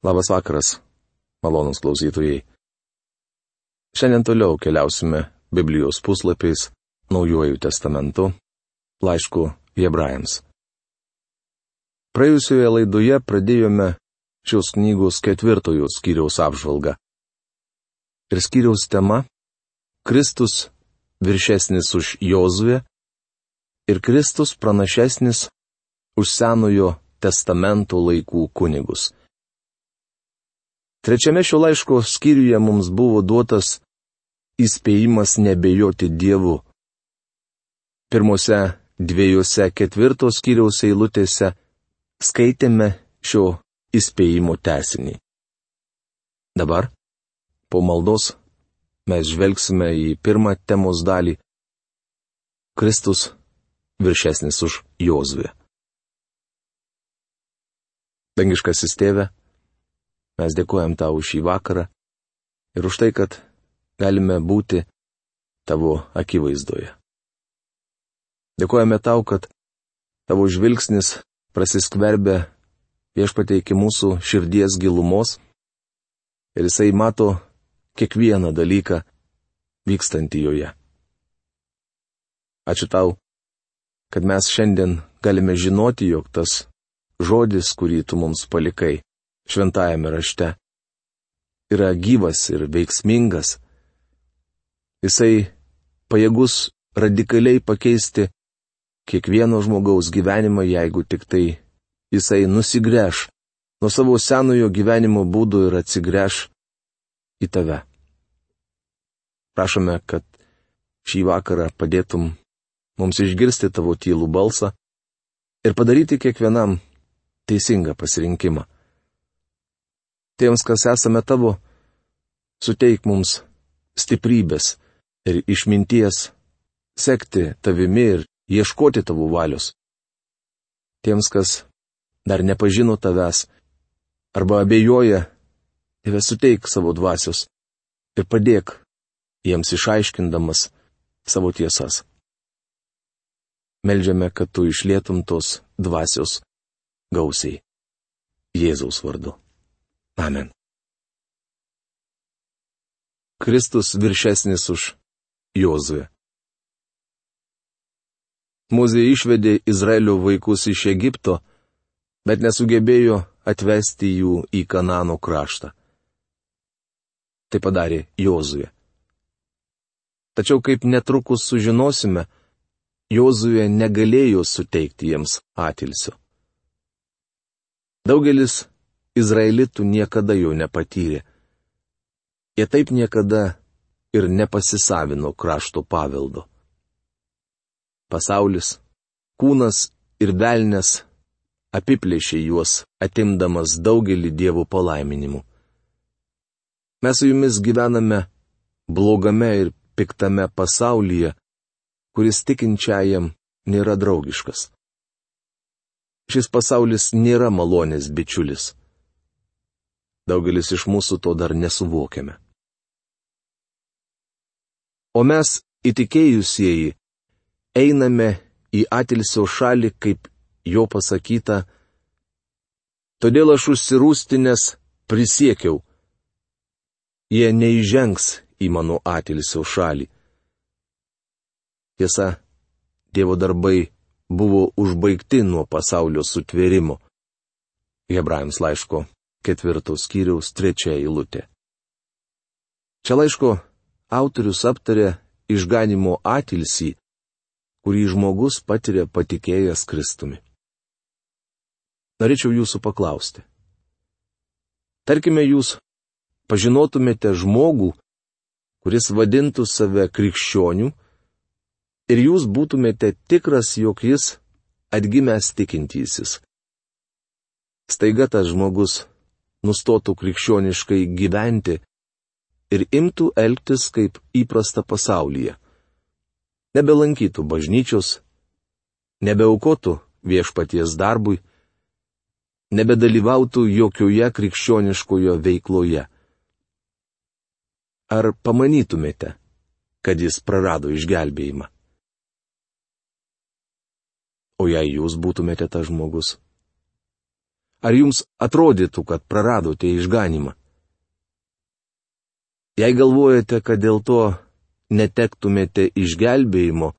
Labas vakaras, malonūs klausytojai. Šiandien toliau keliausime Biblijos puslapiais, Naujuoju testamentu, laišku Hebrajams. Praėjusioje laidoje pradėjome šios knygos 4 skyriaus apžvalgą. Ir skyriaus tema - Kristus viršesnis už Jozuę ir Kristus pranašesnis už Senojo testamento laikų kunigus. Trečiame šio laiško skyriuje mums buvo duotas įspėjimas nebejoti Dievu. Pirmose 2 4 skyriaus eilutėse skaitėme šio įspėjimo tęsinį. Dabar, po maldos, mes žvelgsime į pirmą temos dalį - Kristus viršesnis už Jozuę. Dangiškasis Tėve, mes dėkojam Tau už šį vakarą ir už tai, kad galime būti Tavo akivaizdoje. Dėkojame Tau, kad Tavo žvilgsnis prasiskverbia Viešpatie iki mūsų širdies gilumos ir Jisai mato kiekvieną dalyką vykstantį joje. Ačiū Tau, kad mes šiandien galime žinoti, jog tas žodis, kurį Tu mums palikai šventajame rašte, yra gyvas ir veiksmingas. Jisai pajėgus radikaliai pakeisti kiekvieno žmogaus gyvenimą, jeigu tik tai jisai nusigręš nuo savo senojo gyvenimo būdo ir atsigręš į Tave. Prašome, kad šį vakarą padėtum mums išgirsti Tavo tylų balsą ir padaryti kiekvienam teisingą pasirinkimą. Tiems, kas esame Tavo, suteik mums stiprybės ir išminties sekti Tavimi ir ieškoti Tavo valios. Tiems, kas dar nepažino Tavęs arba abejoja, Tėve suteik savo dvasios ir padėk jiems išaiškindamas savo tiesas. Meldžiame, kad Tu išlietum tos dvasios gausiai. Jėzaus vardu. Amen. Kristus viršesnis už Jozuę. Mozė išvedė Izraelio vaikus iš Egipto, bet nesugebėjo atvesti jų į Kanano kraštą. Tai padarė Jozuė. Tačiau, kaip netrukus sužinosime, Jozuė negalėjo suteikti jiems atilsio. Daugelis izraelitų niekada jo nepatyrė. Jie taip niekada ir nepasisavino krašto paveldo. Pasaulis, kūnas ir velnias apiplėšė juos, atimdamas daugelį Dievo palaiminimų. Mes su jumis gyvename blogame ir piktame pasaulyje, kuris tikinčiajam nėra draugiškas. Šis pasaulis nėra malonės bičiulis. Daugelis iš mūsų to dar nesuvokiame. O mes, įtikėjusieji, einame į atilsio šalį, kaip jo pasakyta, todėl aš užsirūstinęs prisiekiau, jie neįžengs į mano atilsio šalį. Tiesa, Dievo darbai buvo užbaigti nuo pasaulio sutvėrimo. Hebrajams laiško 4 skyriaus 3 eilutė. Čia laiško autorius aptarė išganimo atilsį, kurį žmogus patiria patikėjęs Kristumi. Norėčiau jūsų paklausti. Tarkime, jūs pažinotumėte žmogų, kuris vadintų save krikščioniu, ir jūs būtumėte tikras, jog jis atgimęs tikintysis. Staiga tas žmogus nustotų krikščioniškai gyventi ir imtų elgtis kaip įprasta pasaulyje. Nebelankytų bažnyčios, nebeaukotų viešpaties darbui, nebedalyvautų jokioje krikščioniškojo veikloje. Ar pamanytumėte, kad jis prarado išgelbėjimą? O jei jūs būtumėte tas žmogus? Ar jums atrodytų, kad praradote išganimą? Jei galvojate, kad dėl to netektumėte išgelbėjimo,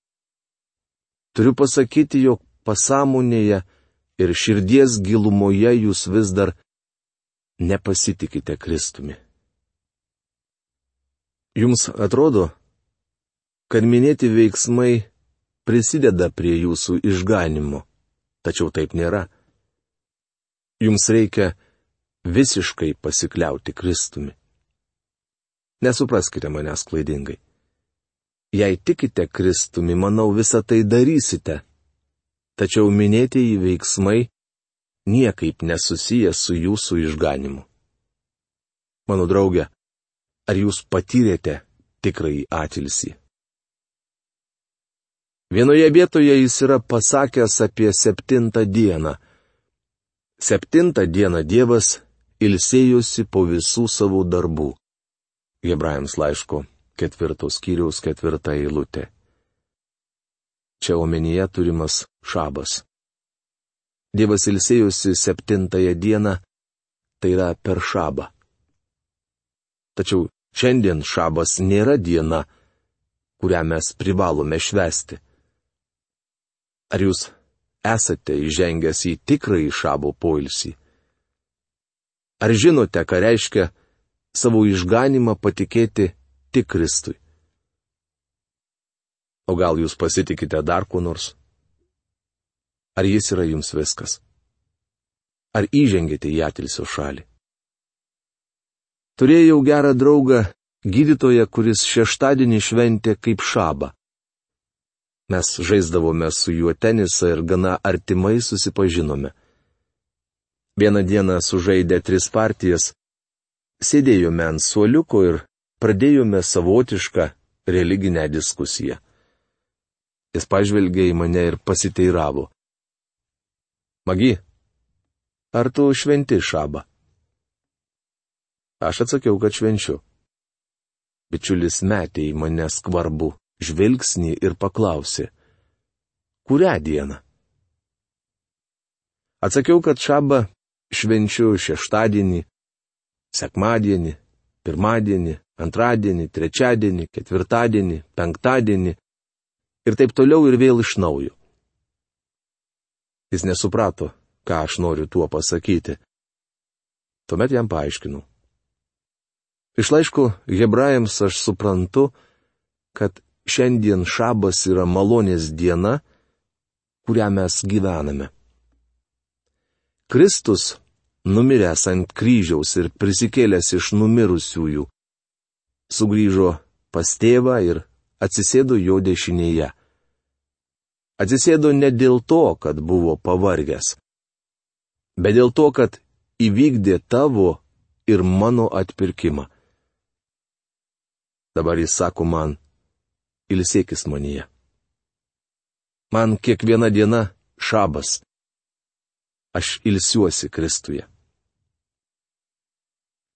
turiu pasakyti, jog pasąmonėje ir širdies gilumoje jūs vis dar nepasitikite Kristumi. Jums atrodo, kad minėti veiksmai prisideda prie jūsų išganimo, tačiau taip nėra. Jums reikia visiškai pasikliauti Kristumi. Nesupraskite manęs klaidingai. Jei tikite Kristumi, manau, visą tai darysite. Tačiau minėtieji veiksmai niekaip nesusiję su jūsų išganimu. Mano draugė, ar jūs patyrėte tikrąjį atilsį? Vienoje vietoje jis yra pasakęs apie 7 dieną. 7 dieną Dievas ilsėjosi po visų savo darbų. Hebrajams laiško 4 skyriaus 4 eilutė. Čia omenyje turimas šabas. Dievas ilsėjosi 7 dieną, tai yra per šabą. Tačiau šiandien šabas nėra diena, kurią mes privalome švęsti. Ar jūs esate įžengęs į tikrąjį šabo poilsį? Ar žinote, ką reiškia savo išganimą patikėti tik Kristui? O gal jūs pasitikite dar kuo nors? Ar jis yra jums viskas? Ar įžengėte į atilsio šalį? Turėjau gerą draugą, gydytoją, kuris šeštadienį šventė kaip šabą. Mes žaisdavome su juo tenisą ir gana artimai susipažinome. Vieną dieną sužaidę 3 partijas, sėdėjome ant suoliuko ir pradėjome savotišką religinę diskusiją. Jis pažvelgė į mane ir pasiteiravo. Magi, ar tu šventi šabą? Aš atsakiau, kad švenčiu. Bičiulis metė į mane skvarbų žvilgsnį ir paklausė, kurią dieną? Atsakiau, kad šabą švenčiu šeštadienį, sekmadienį, pirmadienį, antradienį, trečiadienį, ketvirtadienį, penktadienį ir taip toliau ir vėl iš naujo. Jis nesuprato, ką aš noriu tuo pasakyti. Tuomet jam paaiškinau. Iš laiško Hebrajams aš suprantu, kad šiandien šabas yra malonės diena, kurią mes gyvename. Kristus, numiręs ant kryžiaus ir prisikėlęs iš numirusiųjų, sugrįžo pas tėvą ir atsisėdo jo dešinėje. Atsisėdo ne dėl to, kad buvo pavargęs, bet dėl to, kad įvykdė tavo ir mano atpirkimą. Dabar jis sako man, ilsėkis manyje. Man kiekviena diena šabas. Aš ilsiuosi Kristuje.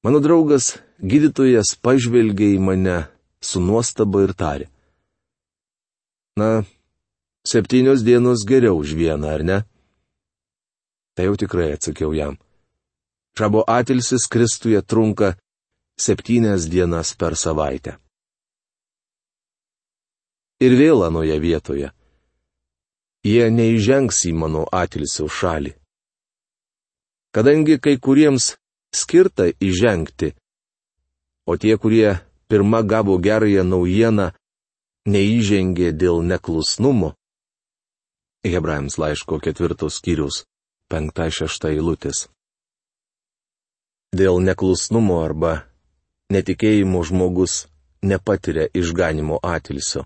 Mano draugas, gydytojas, pažvelgė į mane su nuostaba ir tarė. Na, 7 dienos geriau už vieną, ar ne? Tai jau tikrai, atsakiau jam. Šabo atilsis Kristuje trunka 7 dienas per savaitę. Ir vėl anoje vietoje. Jie neįžengs į mano atilsio šalį. Kadangi kai kuriems skirta įžengti, o tie, kurie pirma gavo gerąją naujieną, neįžengė dėl neklusnumo. Hebrajams laiško 4 skyriaus 5-6 eilutės. Dėl neklusnumo arba netikėjimo žmogus nepatiria išganimo atilsio.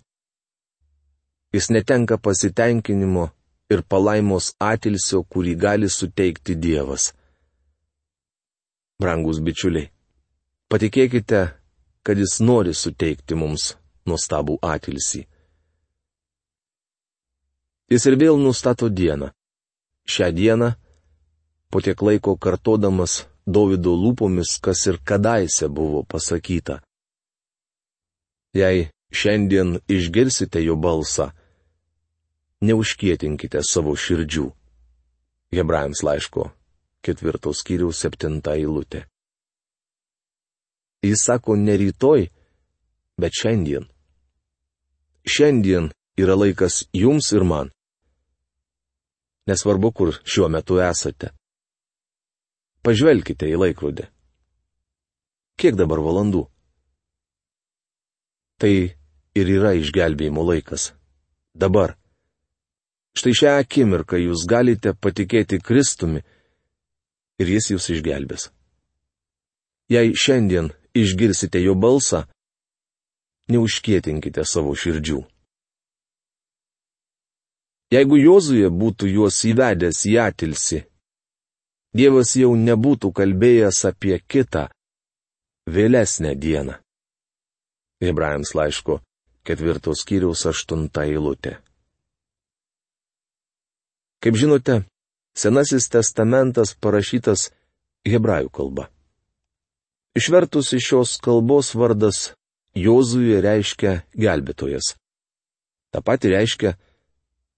Jis netenka pasitenkinimo ir palaimos atilsio, kurį gali suteikti Dievas. Brangus bičiuliai, patikėkite, kad jis nori suteikti mums nuostabų atilsį. Jis ir vėl nustato dieną. Šią dieną, po tiek laiko kartodamas Dovydo lūpomis, kas ir kadaise buvo pasakyta. Jei šiandien išgirsite jo balsą, neužkietinkite savo širdžių. Hebrajams laiško 4 skyriaus 7 eilutė. Jis sako ne rytoj, bet šiandien. Šiandien yra laikas jums ir man. Nesvarbu, kur šiuo metu esate. Pažvelkite į laikrodį. Kiek dabar valandų? Tai ir yra išgelbėjimo laikas. Dabar. Štai šią akimirką jūs galite patikėti Kristumi ir jis jūs išgelbės. Jei šiandien išgirsite jo balsą, neužkietinkite savo širdžių. Jeigu Jozuė būtų juos įvedęs į atilsį, Dievas jau nebūtų kalbėjęs apie kitą, vėlesnę dieną. Hebrajams laiško 4 skyriaus 8 eilutė. Kaip žinote, Senasis testamentas parašytas hebrajų kalba. Išvertus iš šios kalbos vardas Jozuė reiškia gelbėtojas. Ta pati reiškia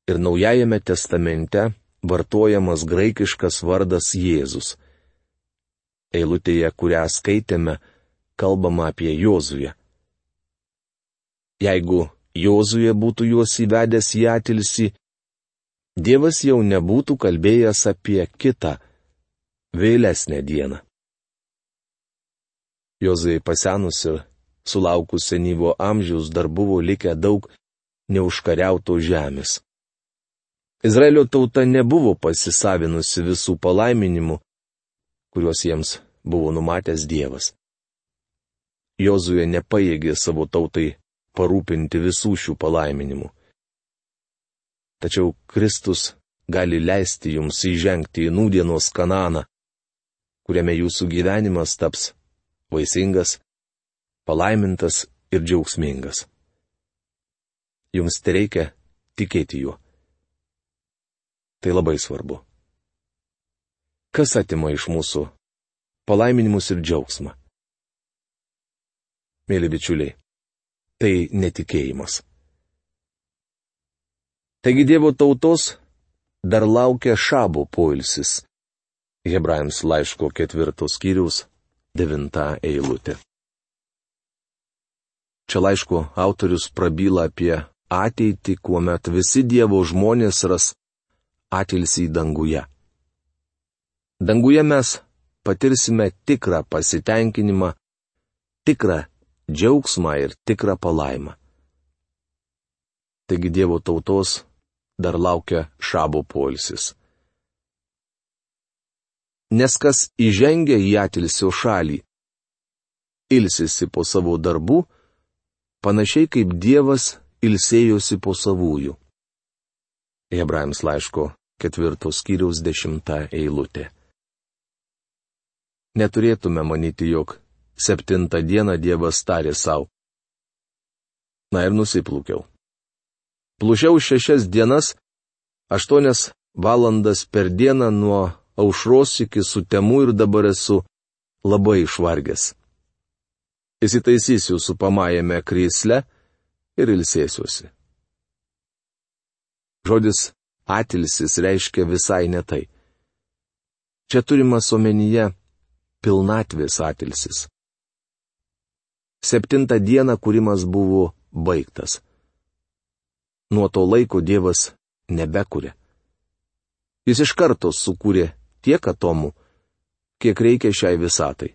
ir Naujajame testamente vartojamas graikiškas vardas Jėzus. Eilutėje, kurią skaitėme, kalbama apie Jozuę. Jeigu Jozuė būtų juos įvedęs į atilsį, Dievas jau nebūtų kalbėjęs apie kitą, vėlesnę dieną. Jozuė pasenus ir sulaukus senyvo amžiaus dar buvo likę daug neužkariautos žemės. Izraelio tauta nebuvo pasisavinusi visų palaiminimų, kuriuos jiems buvo numatęs Dievas. Jozuė nepajėgė savo tautai parūpinti visų šių palaiminimų. Tačiau Kristus gali leisti jums įžengti į nūdienos Kanaaną, kuriame jūsų gyvenimas taps vaisingas, palaimintas ir džiaugsmingas. Jums tereikia tikėti juo. Tai labai svarbu. Kas atima iš mūsų palaiminimus ir džiaugsmą? Mėly bičiuliai, tai netikėjimas. Taigi Dievo tautos dar laukia šabo poilsis. Hebrajams laiško 4 skyriaus 9 eilutė. Čia laiško autorius prabyla apie ateitį, kuomet visi Dievo žmonės ras atilsį danguje. Danguje mes patirsime tikrą pasitenkinimą, tikrą džiaugsmą ir tikrą palaimą. Taigi Dievo tautos dar laukia šabo poilsis. Nes kas įžengia į atilsio šalį, ilsisi po savo darbų, panašiai kaip Dievas ilsėjosi po savųjų. Hebrajams laiško 4 skyriaus 10 eilutė. Neturėtume manyti, jog 7 dieną Dievas tarė savo. Na ir nusiplūkiau. Plušiau 6 dienas, 8 valandas per dieną nuo aušros iki sutemų ir dabar esu labai išvargęs. Įsitaisysiu supamajame krėsle ir ilsėsiuosi. Žodis atilsis reiškia visai ne tai. Čia turimas omenyje pilnatvės atilsis. 7 dieną kūrimas buvo baigtas. Nuo to laiko Dievas nebekuria. Jis iš karto sukūrė tiek atomų, kiek reikia šiai visatai.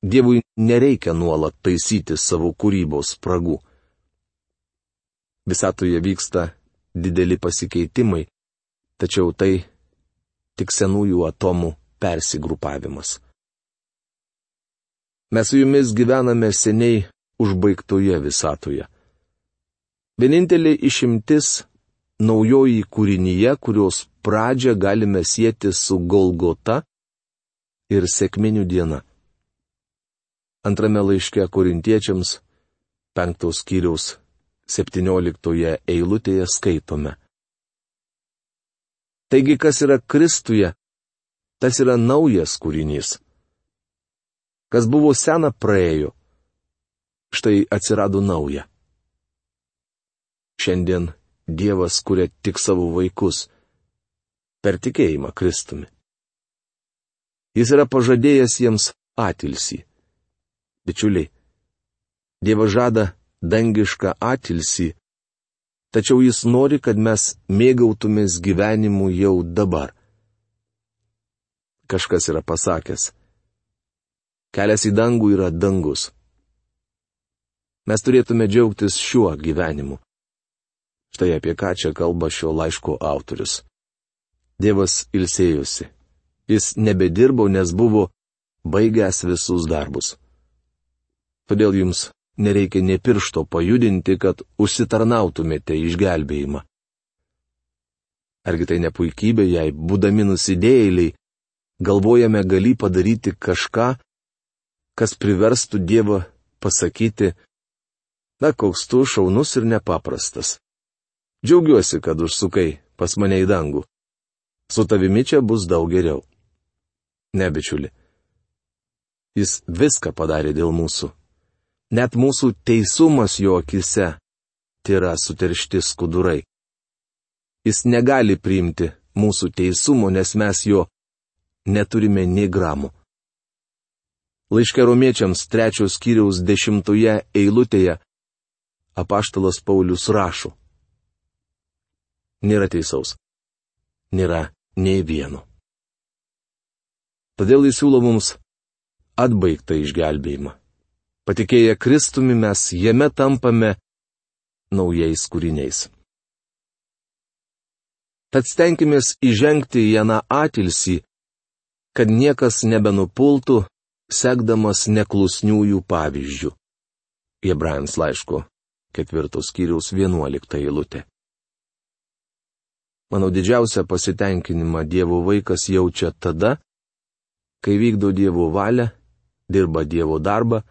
Dievui nereikia nuolat taisyti savo kūrybos spragų. Visatoje vyksta dideli pasikeitimai, tačiau tai tik senųjų atomų persigrupavimas. Mes su jumis gyvename seniai užbaigtoje visatoje. Vienintelė išimtis naujoji kūrinyje, kurios pradžią galime sieti su Golgota ir sekminių diena. Antrame laiške Korintiečiams 5 skyriaus 17 eilutėje skaitome. Taigi, kas yra Kristuje, tas yra naujas kūrinys. Kas buvo sena praėjo, štai atsirado nauja. Šiandien Dievas kuria tik savo vaikus per tikėjimą Kristumi. Jis yra pažadėjęs jiems atilsį. Bičiuliai, Dievas žada dangišką atilsį, tačiau jis nori, kad mes mėgautumės gyvenimu jau dabar. Kažkas yra pasakęs: kelias į dangų yra dangus. Mes turėtume džiaugtis šiuo gyvenimu. Štai apie ką čia kalba šio laiško autorius. Dievas ilsėjosi. Jis nebedirbo, nes buvo baigęs visus darbus. Todėl jums nereikia nė piršto pajudinti, kad užsitarnautumėte išgelbėjimą. Argi tai ne puikybė, jei, būdami nusidėjėliai, galvojame galį padaryti kažką, kas priverstų Dievą pasakyti: na, koks tu šaunus ir nepaprastas. Džiaugiuosi, kad užsukai pas mane į dangų. Su tavimi čia bus daug geriau. Ne, bičiuli. Jis viską padarė dėl mūsų. Net mūsų teisumas jo akise tėra suteršti skudurai. Jis negali priimti mūsų teisumo, nes mes jo neturime nė gramų. Laiške Romiečiams 3 skyriaus 10 eilutėje apaštalas Paulius rašo: nėra teisaus. Nėra nei vieno. Todėl jis siūlo mums atbaigtą išgelbėjimą. Patikėję Kristumi mes jame tampame naujais kūriniais. Tad stenkimės įžengti į aną atilsį, kad niekas nebenupultų, sekdamas neklusniųjų pavyzdžių. Hebrajams laiško 4 skyriaus 11 eilutė. Manau, didžiausią pasitenkinimą Dievo vaikas jaučia tada, kai vykdo Dievo valią, dirba Dievo darbą,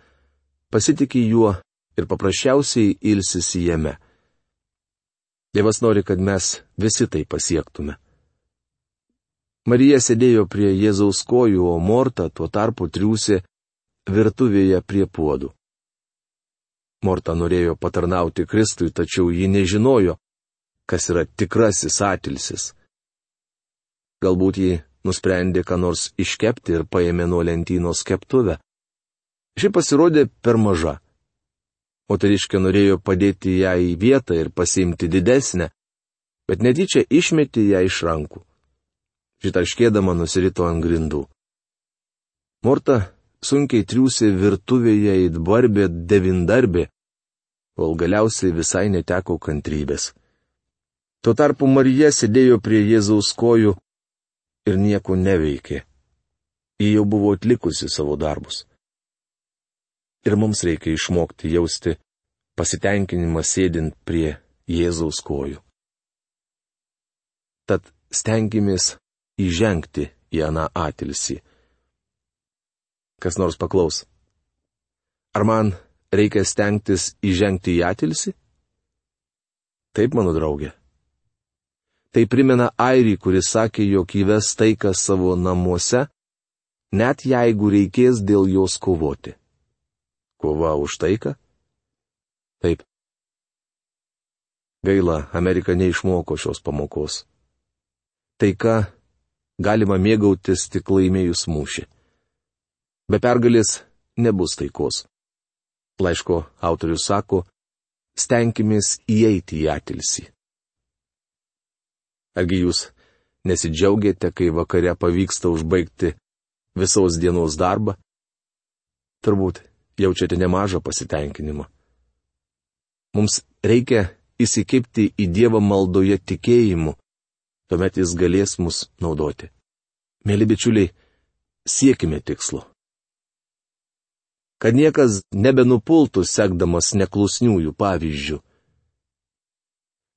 pasitiki juo ir paprasčiausiai ilsisi jame. Dievas nori, kad mes visi tai pasiektume. Marija sėdėjo prie Jėzaus kojų, o Morta tuo tarpu triūsė virtuvėje prie puodų. Morta norėjo patarnauti Kristui, tačiau ji nežinojo, kas yra tikrasis atilsis. Galbūt ji nusprendė ką nors iškepti ir paėmė nuo lentynos keptuvę. Ši pasirodė per maža. Moteriškė norėjo padėti ją į vietą ir pasiimti didesnę, bet netyčia išmetė ją iš rankų. Šitarškėdama nusirito ant grindų. Morta sunkiai triūsė virtuvėje it barbė devindarbė, kol galiausiai visai neteko kantrybės. Tuo tarpu Marija sėdėjo prie Jėzaus kojų ir nieko neveikė. Ji jau buvo atlikusi savo darbus. Ir mums reikia išmokti jausti pasitenkinimą sėdint prie Jėzaus kojų. Tad stenkimės įžengti į aną atilsį. Kas nors paklaus: ar man reikia stengtis įžengti į atilsį? Taip, mano draugė. Tai primena airį, kuris sakė, jog įves taiką savo namuose, net jeigu reikės dėl jos kovoti. Kova už taiką? Taip. Gaila, Amerika neišmoko šios pamokos. Taika galima mėgautis tik laimėjus mūšį. Be pergalės nebus taikos. Laiško autorius sako: stenkimės įeiti į atilsį. Argi jūs nesidžiaugiate, kai vakare pavyksta užbaigti visos dienos darbą? Turbūt jaučiate nemažą pasitenkinimą. Mums reikia įsikibti į Dievą maldoje tikėjimu, tuomet jis galės mus naudoti. Mėly bičiuliai, siekime tikslo. Kad niekas nebenupultų sekdamas neklusniųjų pavyzdžių.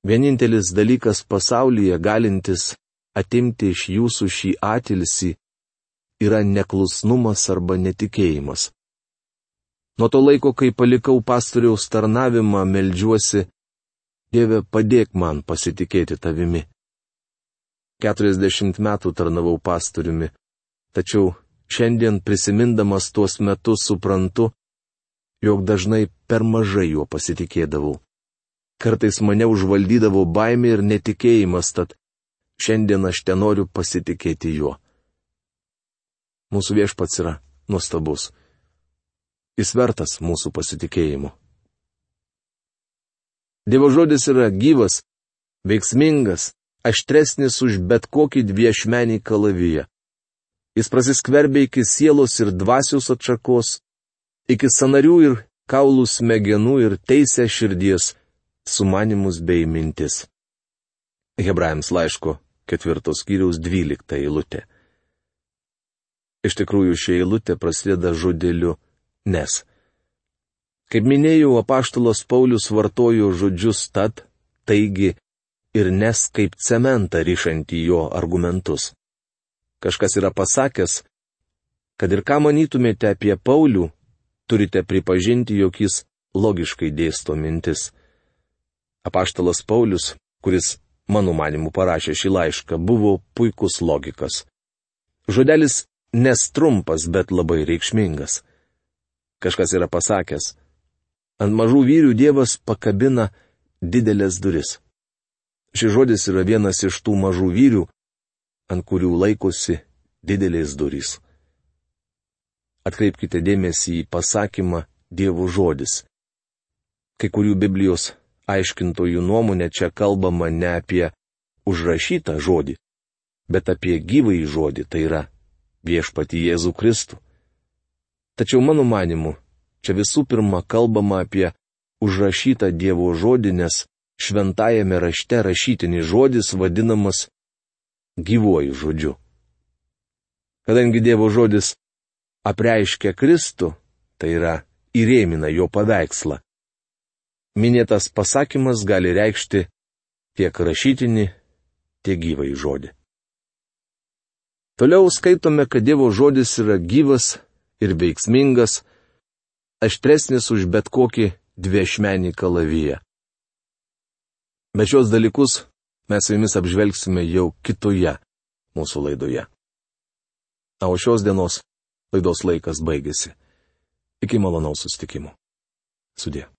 Vienintelis dalykas pasaulyje galintis atimti iš jūsų šį atilsį yra neklusnumas arba netikėjimas. Nuo to laiko, kai palikau pastoriaus tarnavimą, meldžiuosi: Dieve, padėk man pasitikėti tavimi. 40 metų tarnavau pastoriumi, tačiau šiandien prisimindamas tuos metus suprantu, jog dažnai per mažai juo pasitikėdavau. Kartais mane užvaldydavo baimė ir netikėjimas, tad šiandien aš tenoriu pasitikėti juo. Mūsų viešpats yra nuostabus. Jis vertas mūsų pasitikėjimo. Dievo žodis yra gyvas, veiksmingas, aštresnis už bet kokį dviešmenį kalaviją. Jis prasiskverbia iki sielos ir dvasios atšakos, iki sanarių ir kaulų smegenų ir teisia širdies sumanimus bei mintis. Hebrajams laiško 4 skyriaus 12 eilutė. Iš tikrųjų, ši eilutė prasideda žodeliu nes. Kaip minėjau, apaštalas Paulius vartojo žodžius tad, taigi ir nes kaip cementą rišantį jo argumentus. Kažkas yra pasakęs, kad ir ką manytumėte apie Paulių, turite pripažinti, jog jis logiškai dėsto mintis. Apaštalas Paulius, kuris, mano manimu, parašė šį laišką, buvo puikus logikas. Žodelis nes trumpas, bet labai reikšmingas. Kažkas yra pasakęs, ant mažų vyrių Dievas pakabina didelės duris. Šis žodis yra vienas iš tų mažų vyrių, ant kurių laikosi didelės durys. Atkreipkite dėmesį į pasakymą Dievo žodis. Kai kurių Biblijos aiškintojų nuomonė čia kalbama ne apie užrašytą žodį, bet apie gyvąjį žodį, tai yra viešpatį Jėzų Kristų. Tačiau mano manimu, čia visų pirma kalbama apie užrašytą Dievo žodį, nes šventajame rašte rašytinis žodis vadinamas gyvuoju žodžiu. Kadangi Dievo žodis apreiškia Kristų, tai yra įrėmina jo paveikslą, minėtas pasakymas gali reikšti tiek rašytinį, tiek gyvąjį žodį. Toliau skaitome, kad Dievo žodis yra gyvas ir veiksmingas, aštresnis už bet kokį dviešmenį kalaviją. Bet šios dalykus mes su jumis apžvelgsime jau kitoje mūsų laidoje. O šios dienos laidos laikas baigėsi. Iki malonaus susitikimo. Sudie.